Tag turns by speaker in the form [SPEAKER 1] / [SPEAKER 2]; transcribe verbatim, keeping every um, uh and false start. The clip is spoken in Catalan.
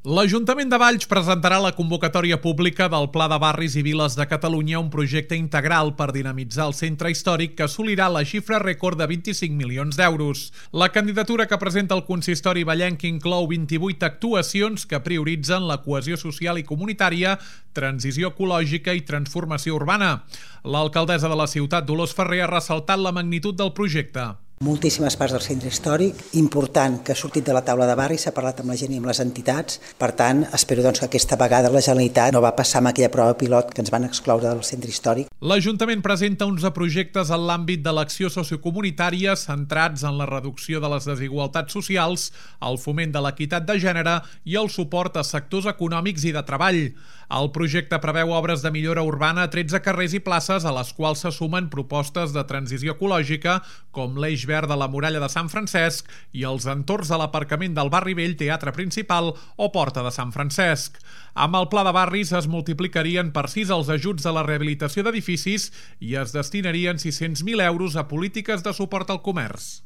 [SPEAKER 1] L'Ajuntament de Valls presentarà la convocatòria pública del Pla de Barris i Viles de Catalunya, un projecte integral per dinamitzar el centre històric que assolirà la xifra rècord de vint-i-cinc milions d'euros. La candidatura que presenta el consistori vallenc inclou vint-i-vuit actuacions que prioritzen la cohesió social i comunitària, transició ecològica i transformació urbana. L'alcaldessa de la ciutat, Dolors Ferrer, ha ressaltat la magnitud del projecte.
[SPEAKER 2] Moltíssimes parts del centre històric, important que ha sortit de la taula de barri, s'ha parlat amb la gent i amb les entitats, per tant, espero doncs, que aquesta vegada la Generalitat no va passar amb aquella prova pilot que ens van excloure del centre històric.
[SPEAKER 1] L'Ajuntament presenta onze projectes en l'àmbit de l'acció sociocomunitària centrats en la reducció de les desigualtats socials, el foment de l'equitat de gènere i el suport a sectors econòmics i de treball. El projecte preveu obres de millora urbana a tretze carrers i places, a les quals se sumen propostes de transició ecològica, com l'eix verd de la muralla de Sant Francesc i els entorns de l'aparcament del Barri Vell, Teatre Principal o Porta de Sant Francesc. Amb el pla de barris es multiplicarien per sis els ajuts a la rehabilitació d'edificis i es destinarien sis-cents mil euros a polítiques de suport al comerç.